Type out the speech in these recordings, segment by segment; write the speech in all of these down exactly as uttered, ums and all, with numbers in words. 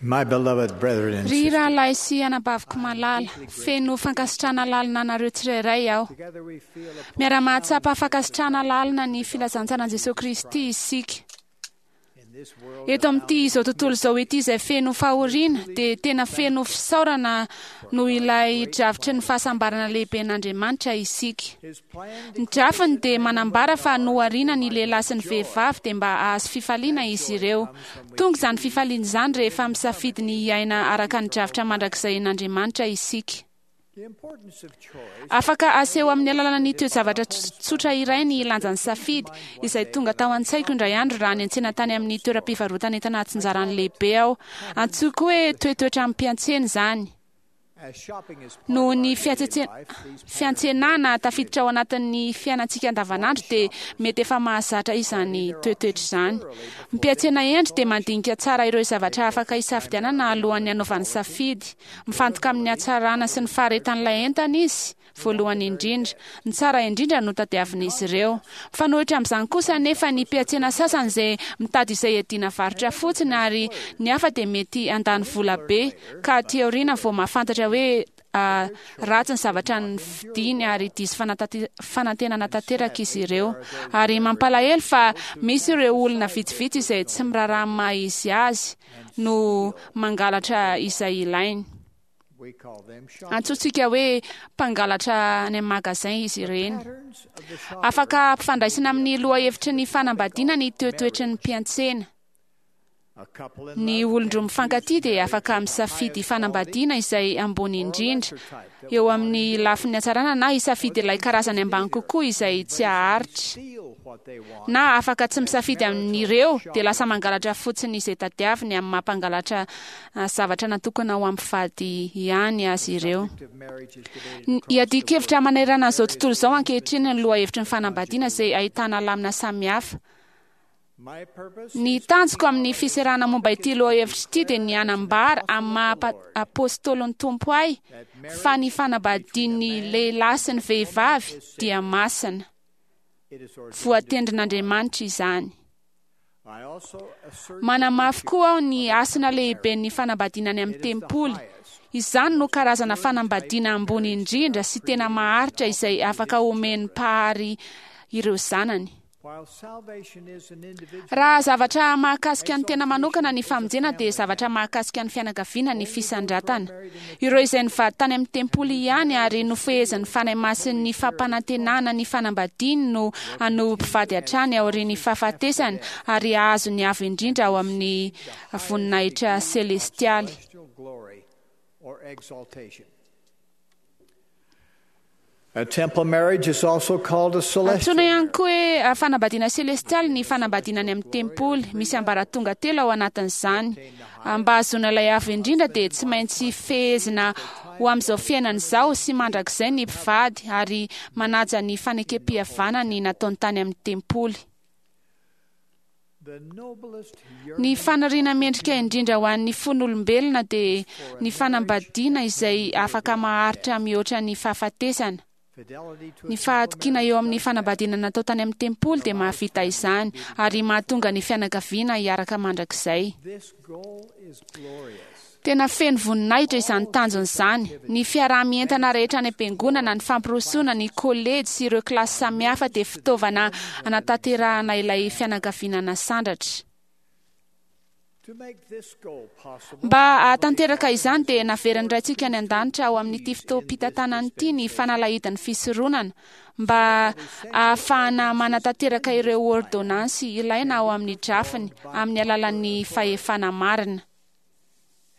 My beloved brethren and Ry sisters, rahalahy sy anabaviko malala, feno fankasitrahana lalina anareo tsirairay aho. together we feel a Miara-mahatsapa fankasitrahana lalina ny filazantsaran'i Jesosy Kristy isika. in this world Eto amin'ity izao tontolo izao ity izay feno fahoriana dia tena feno fisaorana noho ilay drafitry ny fahasambarana lehiben'Andriamanitra isika. His plan Ny drafiny dia manambara fa nohariana ny lehilahy sy ny vehivavy dia mba hahazo fifaliana izy ireo. Tonga izany fifaliana izany rehefa misafidy ny hiaina araka ny drafitra mandrakizay-n'Andriamanitra isika. the importance of choice Afaka aseho amin'ny alalan'ny toe-javatra ts- tsotra iray ny lanjan'ny safidy izay tonga tao an-tsaiko indray andro raha niantsena tany amin'ny toeram-pivarotana entana atsinjarany lehibe aho. Antsoiko hoe toetoetra amim-piantsena izany. as shopping is part Noho of ny our daily fiatsetse- life, these patterns fiantsenana tafiditra ao anatin'ny fiainantsika andavanandro dia mety efa mahazatra izany toetoetra izany. Mpiantsena hendry dia mandinika tsara ireo zavatra afaka hisafidianana alohan'ny hanaovany safidy. Mifantoka amin'ny hatsarana sy ny faharetan'ilay entana izy voalohany indrindra. Ny tsara indrindra no tadiavin'izy ireo. Mifanohitra amin'izany kosa nefa ny mpiantsena sasany izay mitady izay hiadiana varotra fotsiny ary ny hafa dia mety handany vola be ka aty aoriana vao mahafantatra hoe ah, ratsy ny zavatra nividiany ary diso fanatante- fanantenana tanteraka izy ireo. Ary mampalahelo fa misy ireo olona vitsivitsy izay tsy miraharaha ny maha izy azy no mangalatra izay ilainy. we call them shoppers. Antsointsika hoe mpangalatra any amin'ny magazin izy ireny. Patterns of the shopper Afaka ampifandraisina amin'ny lohahevitry ny fanambadiana ny toetoetry ny mpiantsena. a couple in Ny love olon-droa can mifankatia choose dia marriage afaka of the misafidy highest fanambadiana izay ambony indrindra eo amin'ny lafin'ny hatsarana na hisafidy ilay karazany ambany kokoa izay tsy haharitra. steal what they want Na afaka tsy misafidy amin'ireo dia lasa mangalatra fotsiny izay tadiaviny amin'ny mampangalatra ah, zavatra natokana ho amin'ny mpivady ihany azy ireo. of marriage is debated Ny- Iadian-kevitra manerana an'izao tontolo izao ankehitriny ny lohahevitry ny fanambadiana izay ahitana lamina samihafa. My purpose Ny tanjoko amin'ny fiserana momba ity lohahevitra ity dia ny hanambara amin'ny maha pa- apôstôlin'ny Tompo ahy fa ny fanambadian'ny lehilahy sy ny vehivavy dia masina. it is ordained. Voatendrin'Andriamanitra izany. I also assert Manamafy koa aho ny hasina lehiben'ny fanambadiana any amin'ny tempoly. Izany no karazana fanambadiana ambony indrindra sy tena maharitra izay afaka omen'ny mpahary ireo zanany. while salvation is an individual Raha zavatra mahakasika ny tena manokana ny famonjena dia zavatra mahakasika ny fianakaviana ny fisandratana. Ireo izay nivady tany amin'ny tempoly ihany ary nofehezin'ny Fanahy Masin'ny fampanantenana ny fanambadiany no hanohy mpivady hatrany aorian'ny fahafatesany ary hahazo ny avo indrindra ao amin'ny voninahitra selestialy. celestial glory or exaltation. A temple marriage is also called a celestial Antsoina ihany koa hoe ah, fanambadiana selestialy ny fanambadiana any amin'ny tempoly. Misy ambaratonga telo ao anatin'izany. Ah, Mba hahazoana ilay avo indrindra dia tsy maintsy fehezina ho amin'izao fiainana izao sy mandrakizay ny mpivady ary manaja ny fanekem-pihavanany nataony tany amin'ny tempoly. The noblest Ny yearning faniriana mendrika indrindra ho an'ny fon'olombelona dia ny fanambadiana izay afaka maharitra mihoatra ny fahafatesana. fidelity to Ny fahatokiana eo amin'ny fanambadiana natao tany amin'ny tempoly dia mahavita izany ary mahatonga ny fianakaviana hiaraka mandrakizay. this goal is glorious. Tena feno voninahitra izany tanjona izany. Ny fiaraha-mientana rehetra any am-piangonana, ny fampirosoana, ny kolejy sy ireo kilasy samihafa dia fitaovana anatanterahana ilay fianakaviana nasandratra. To make this goal possible, Mba hahatanteraka izany dia naverin'ny Raintsika any an-danitra ao amin'ity fotoam-pitantanana ity ny fanalahidin'ny fisoronana mba ahafahana manatanteraka ireo ordonnances ilaina ao amin'ny drafiny amin'ny alalan'ny fahefana marina.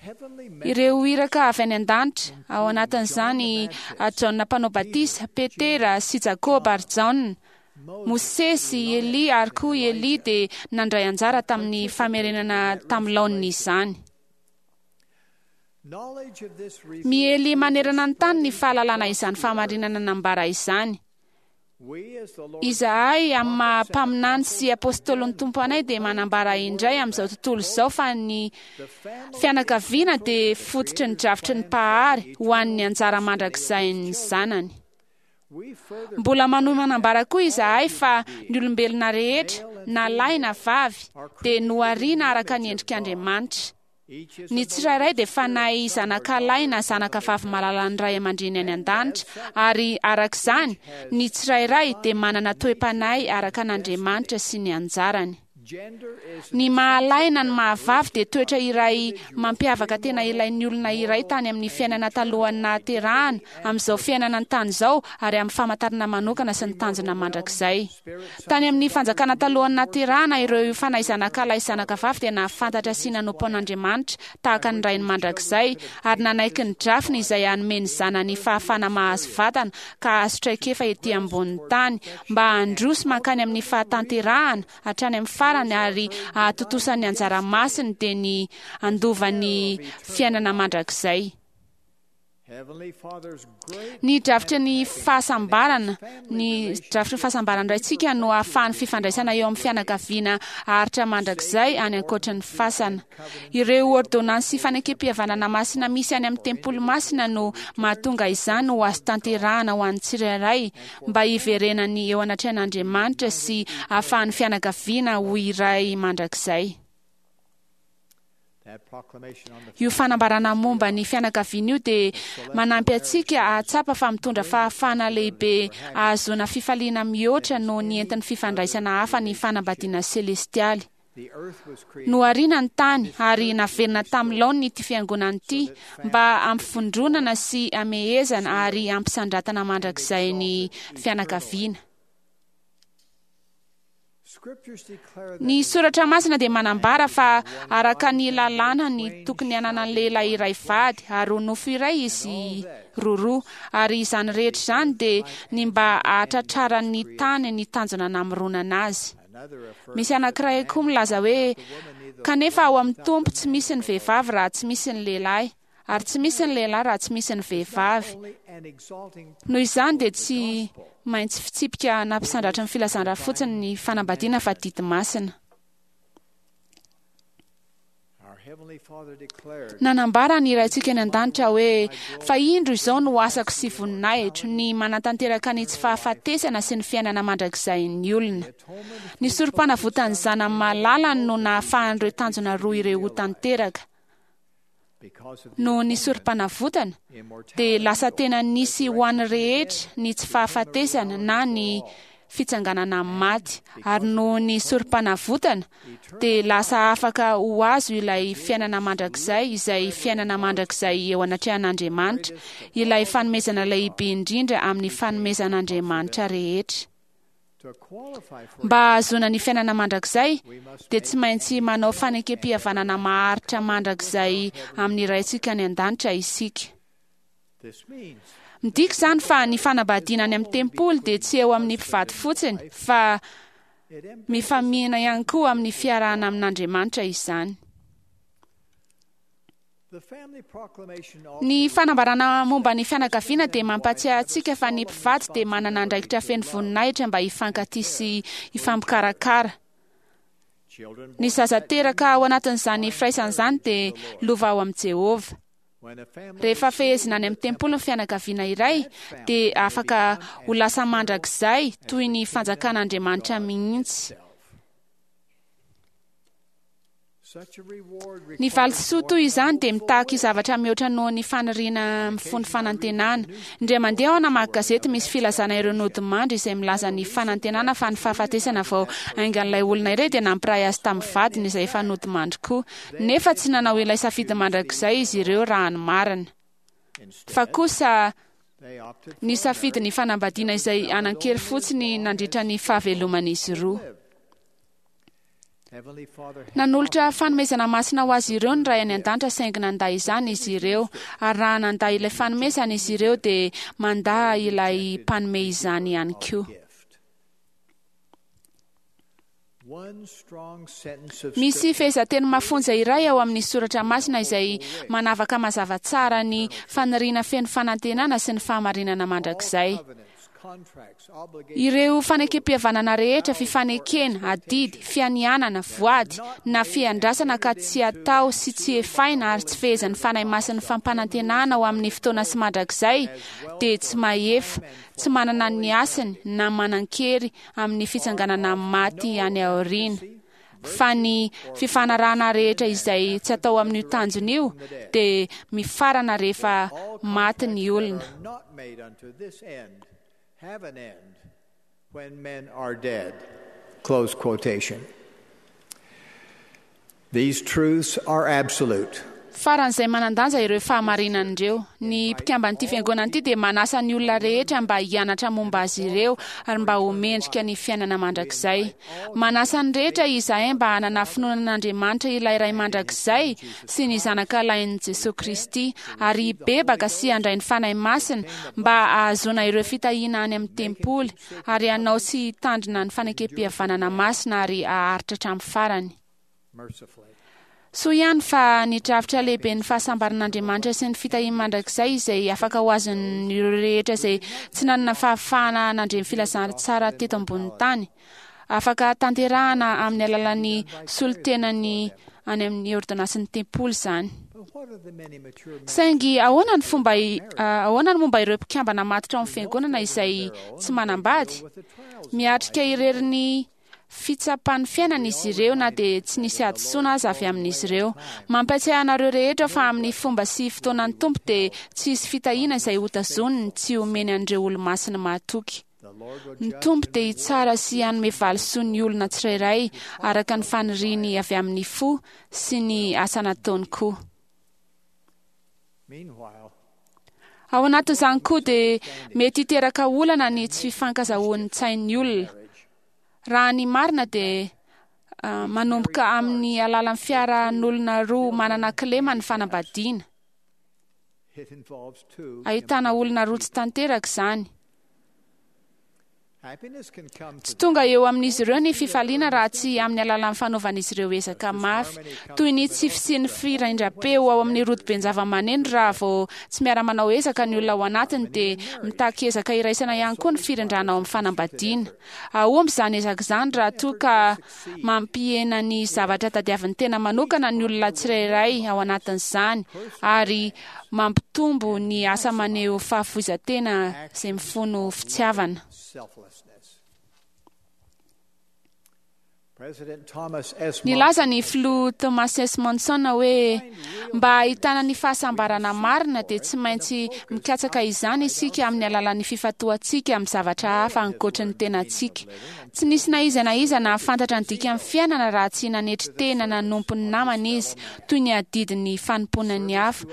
heavenly Ireo iraka avy any an-danitra ao anatin'izany ah, Jaona mpanao batisa, Petera sy Jakoba ary Jaona, Mosesy, Elia ary koa Elia dia nandray anjara tamin'ny famerenana tamin'ny laoniny izany. knowledge of this revealed Miely manerana ny tany ny fahalalana izany fahamarinana nambara izany. we as the Lord's Izahay amin'ny maha mpaminany sy apôstôlin'ny Tompo anay dia manambara indray amin'izao tontolo izao fa ny the family fianakaviana dia fototry ny drafitry ny mpahary ho an'ny anjara mandrakizain'ny zanany. we further Mbola manohy manambara koa izahay fa ny olombelona rehetra na lahy na vavy dia nohariana araka ny endrik'Andriamanitra. Ny tsirairay dia fanahy zanaka lahy na zanaka vavy malalan'ny ray aman-dreny any an-danitra, ary araka izany ny tsirairay dia manana toe-panahy araka an'Andriamanitra sy ny anjarany. Ny mahalahy na ny mahavavy dia toetra iray mampiavaka tena ilain'ny olona iray tany amin'ny fiainana talohan'ny nahaterahana, amin'izao fiainana an-tany izao, ary amin'ny famantarana manokana sy ny tanjona mandrakizay. Tany amin'ny fanjakana talohan'ny nahaterahana, ireo fanahy zanaka lahy sy zanaka vavy dia nahafantatra sy nanompo an'Andriamanitra tahaka ny rainy mandrakizay, ary nanaiky ny drafiny izay hanome ny zanany fahafahana mahazo vatana ka hahazo traikefa ety ambonin'ny tany mba handroso mankany amin'ny fahatanterahana hatrany amin'ny farany ary ahatontosan'ny anjara masiny dia ny handovan'ny fiainana mandrakizay. Ny drafitry ny fahasambarana, ny drafitry ny fahasambarana raintsika no ahafahan'ny fifandraisana eo amin'ny fianakaviana haharitra mandrakizay any ankoatra ny fasana. Ireo ordonnances sy fanekem-pihavanana masina misy any amin'ny tempoly masina no mahatonga izany ho azo tanterahana ho an'ny tsirairay mba hiverenany eo anatrehan'Andriamanitra sy ahafahan'ny fianakaviana ho iray mandrakizay. Io fanambarana momba ny fianakaviana io dia manampy antsika hahatsapa fa mitondra fahafahana lehibe ahazoana fifaliana mihoatra noho ny entin'ny fifandraisana hafa ny fanambadiana selestialy. Nohariana ny tany ary naverina tamin'ny laoniny ity fiangonana ity mba hampivondronana sy hamehezana ary hampisandratana mandrakizay ny fianakaviana. Ny soratra masina dia manambara fa araka ny lalàna ny tokony hananan'ny lehilahy iray vady ary ho nofo iray izy roroa, ary izany rehetra izany dia ny mba hahatratraran'ny tany ny tanjona namoronana azy. Misy anankiray koa milaza hoe kanefa ao amin'ny Tompo tsy misy ny vehivavy raha tsy misy ny lehilahy, ary tsy misy ny lehilahy raha tsy misy ny vehivavy. Noho izany dia tsy maintsy fitsipika nampisandratra ny filazana fotsiny ny fanambadiana fa didy masina. Nanambara ny Raintsika any an-danitra hoe fa indro izao no asako sy voninahitro, ny manatanteraka ny tsy fahafatesana sy ny fiainana mandrakizay ny olona. Ny sorom-panavotan'ny zanany malalany no nahafahan'ireo tanjona roa ireo ho tanteraka. Noho ny sorom-panavotana dia lasa tena nisy ho an'ny rehetra ny tsy fahafatesana na ny fitsanganana amin'ny maty, ary noho ny sorom-panavotana dia lasa afaka ho azo ilay fiainana mandrakizay, izay fiainana mandrakizay eo anatrehan'Andriamanitra, ilay fanomezana lehibe indrindra amin'ny fanomezan'Andriamanitra rehetra. Mba hahazoana ny fiainana mandrakizay dia tsy maintsy manao fanekem-pihavanana maharitra mandrakizay amin'ny Raintsika any an-danitra isika. Midika izany fa ny fanambadiana any amin'ny tempoly dia tsy eo amin'ny mpivady fotsiny fa mifamihina ihany koa amin'ny fiarahana amin'Andriamanitra izany. Ny fanambarana momba ny fianakaviana dia mampatsiahy antsika fa ny mpivady dia manana andraikitra feno voninahitra mba hifankatia sy hifampikarakara. Ny zaza teraka ao anatin'izany firaisana izany dia lova ao amin'i Jehovah. Rehefa fehezina any amin'ny tempoly ny fianakaviana iray dia afaka ho lasa mandrakizay toy ny fanjakan'Andriamanitra mihitsy. Ny valisoa toy izany dia mitaky zavatra mihoatra noho ny faniriana mifono fanantenana. Indray mandeha aho namaky gazety misy filazana ireo nodimandry izay milaza ny fanantenana fa ny fahafatesana vao haingan'ilay olona iray dia nampiray azy tamin'ny vadiny izay efa nodimandry koa. Nefa tsy nanao ilay safidy mandrakizay izy ireo raha ny marina. Fa kosa ny safidy ny fanambadiana izay hanan-kery fotsiny nandritra ny fahaveloman'izy roa. Nanolotra fanomezana masina ho azy ireo ny Ray any an-danitra saingy nandà izany izy ireo, ary raha nandà ilay fanomezana izy ireo dia mandà ilay mpanome izany ihany koa. Misy fehezanteny mafonja iray ao amin'ny soratra masina izay manavaka mazava tsara ny faniriana feno fanantenana sy ny fahamarinana mandrakizay. Ireo fanekem-pihavanana rehetra, fifanekena, adidy, fianianana, voady na fiandrasana ka tsy atao sy tsy efaina ary tsy fehezan'ny Fanahy Masin'ny fampanantenana ho amin'ny fotoana sy mandrakizay dia tsy mahefa, tsy manana ny hasiny na manan-kery amin'ny fitsanganana amin'ny maty any aoriana. Fa ny fifanarahana rehetra izay tsy atao amin'io tanjona io dia mifarana rehefa maty ny olona. Are not made unto this end have an end when men are dead. Close quotation. These truths are absolute. Faran'izay manan-danja ireo fahamarinana ireo. Ny mpikamban'ity fiangonana ity dia manasa ny olona rehetra mba hianatra momba azy ireo ary mba ho mendrika ny fiainana mandrakizay. Manasa ny rehetra izahay mba hanana finoana an'Andriamanitra ilay Ray mandrakizay sy ny Zanaka lahin'i Jesoa Kristy ary hibebaka sy handray ny Fanahy Masina mba hahazoana ireo fitahiana any amin'ny tempoly ary hanao sy hitandrina ny fanekem-pihavanana masina ary haharitra hatramin'ny farany. Mercifully. Soa ihany fa ny drafitra lehibe ny fahasambaran'Andriamanitra sy ny fitahiany mandrakizay izay afaka ho azon'ireo rehetra izay tsy nanana fahafahana nandre ny filazantsara teto ambonin'ny tany. Afaka tanterahana amin'ny alalan'ny solontenany any amin'ny ordonansin'ny tempoly izany. But what are the many mature men Saingy ahoana ny fomba i- ah, ahoana ny momba ireo mpikambana matotra ao amin'ny fiangonana izay tsy manambady? with the trials? Miatrika irery ny fitsapan'ny fiainana izy ireo na dia tsy nisy hadisoana aza avy amin'izy ireo. Mampiatsiahy anareo rehetra fa amin'ny fomba sy fotoanan'ny Tompo dia tsy hisy fitahiana izay hotazoniny tsy homeny an'ireo olo-masina mahatoky. The Lord will Ny judge Tompo and dia hitsara sy hanome valisoa ny olona tsirairay araka ny faniriany avy amin'ny fo sy ny asa nataony koa. Meanwhile, Ao anatin'izany koa dia mety hiteraka olana ny tsy fifankazahoan'ny tsain'ny olona. marriage Raha ny marina dia ah, manomboka amin'ny alalan'ny fiarahan'olona roa manana kilema ny fanambadiana. it involves two. Ahitana olona roa tsy tanteraka izany. Happiness can come Tsy to tonga eo amin'izy ireo ny fifaliana raha tsy amin'ny alalan'ny fanaovan'izy ireo ezaka mafy, toy ny tsy fisian'ny firindram-peo ao amin'ny rodoben-java-maneno raha vao tsy miara-manao ezaka ny olona ao anatiny dia mitaky ezaka iraisana ihany koa ny firindrana ao amin'ny fanambadiana. Ahomby izany ezaka izany raha toa ka mampihena ny zavatra tadiavin'ny tena manokana ny olona tsirairay ao anatin'izany ary mampitombo ny asa maneho fahafoizan-tena izay mifono fitiavana. selflessness. President Thomas S. Nilaza ny filoha Thomas S. Monson hoe mba hahitana ny fahasambarana marina dia tsy maintsy mikatsaka izany isika amin'ny alalan'ny fifantohantsika amin'ny zavatra hafa ankoatra ny tenantsika. Tsy nisy na iza na iza nahafantatra ny dikan'ny fiainana raha tsy nanetry tena nanompo ny namana izy toy ny adidin'ny fanompoana ny hafa.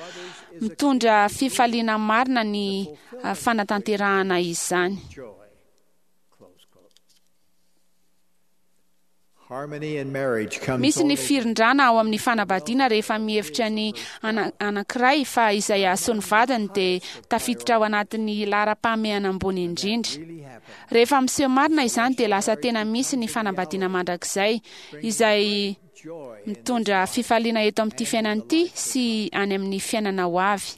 Mitondra fifaliana marina ny ah, fanatanterahana izany. joy. Close quote. Harmony in marriage comes Misy ny only firindrana ao amin'ny fanambadiana rehefa mihevitra ny ana- anankiray fa izay hahasoa ny vadiny dia tafiditra ao anatin'ny laharam-pahamehana ambony indrindra. really happen. Rehefa miseho marina izany dia lasa tena misy ny fanambadiana mandrakizay izay Joy in mitondra fifaliana eto amin'ity fiainana ity sy any amin'ny fiainana ho avy.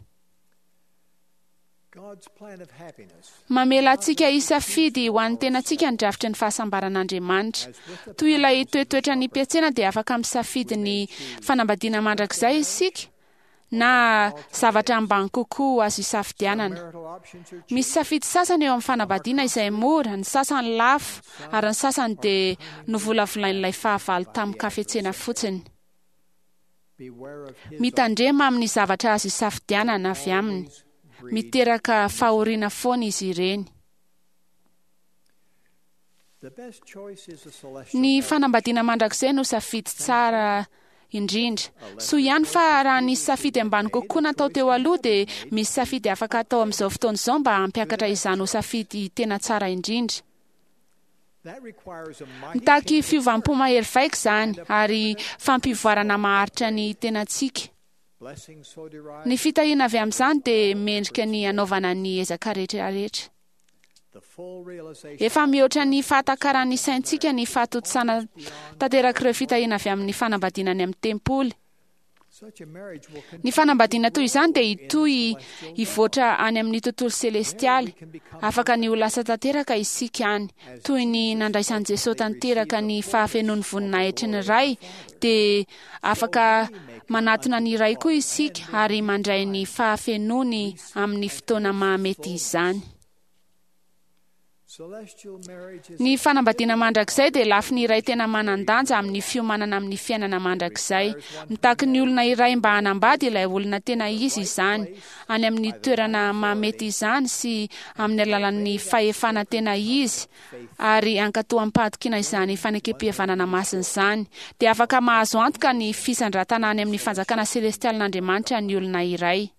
God's plan of happiness Mamela antsika hisafidy ho an'ny tenantsika ny drafitry ny fahasambaran'Andriamanitra. Toy ilay toetoetra ny mpiantsena dia afaka misafidy ny fanambadiana mandrakizay isika na zavatra ambany kokoa azo isafidianana. marital options are Misy safidy sasany eo amin'ny fanambadiana izay mora, ny sasany lafo ary ny sasany dia novolavolain'ilay fahavalo tamin'ny kafetsena fotsiny. beware of his Mitandrema amin'ny zavatra azo isafidianana avy aminy. greed. Miteraka fahoriana foana izy ireny. The best choice is a celestial Ny marriage. fanambadiana mandrakizay no safidy tsara indrindra. Soa ihany fa raha nisy safidy ambany kokoa natao teo aloha dia misy safidy afaka atao amin'izao fotoana izao mba hampiakatra izany ho safidy tena tsara indrindra. That requires a mighty Mitaky change of fiovam-po heart. mahery vaika izany ary fampivoarana maharitra ny tenantsika. Blessings so derived, Ny fitahiana avy amin'izany dia mendrika ny hanaovana ny ezaka rehetra rehetra. the full realization Efa mihoatra ny fahatakaran'ny saintsika ny fahatontosana tanterak'ireo fitahiana avy amin'ny fanambadiana any amin'ny tempoly. such a marriage will Ny fanambadiana toy izany dia hitohy hivoatra any amin'ny tontolo selestialy. Afaka ny ho lasa tanteraka isika any. Toy ny nandraisan'i Jesosy tanteraka ny fahafenoan'ny voninahitry ny Ray, dia afaka manatona ny Ray koa isika ary mandray ny fahafenoany amin'ny fotoana mahamety izany. Ny fanambadiana mandrakizay dia lafiny iray tena manan-danja amin'ny fiomanana amin'ny fiainana mandrakizay. Mitaky ny olona iray mba hanambady ilay olona tena izy izany, any amin'ny toerana mahamety izany sy amin'ny alalan'ny fahefana tena izy, ary hankatò amim-pahatokiana izany fanekem-pihavanana masina izany. Dia afaka mahazo antoka ny fisandratana any amin'ny fanjakana selestialin'Andriamanitra ny olona iray.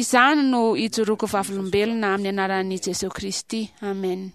Izany no ijoroako vavolombelona amin'ny anaran'i Jesosy Kristy. Amen.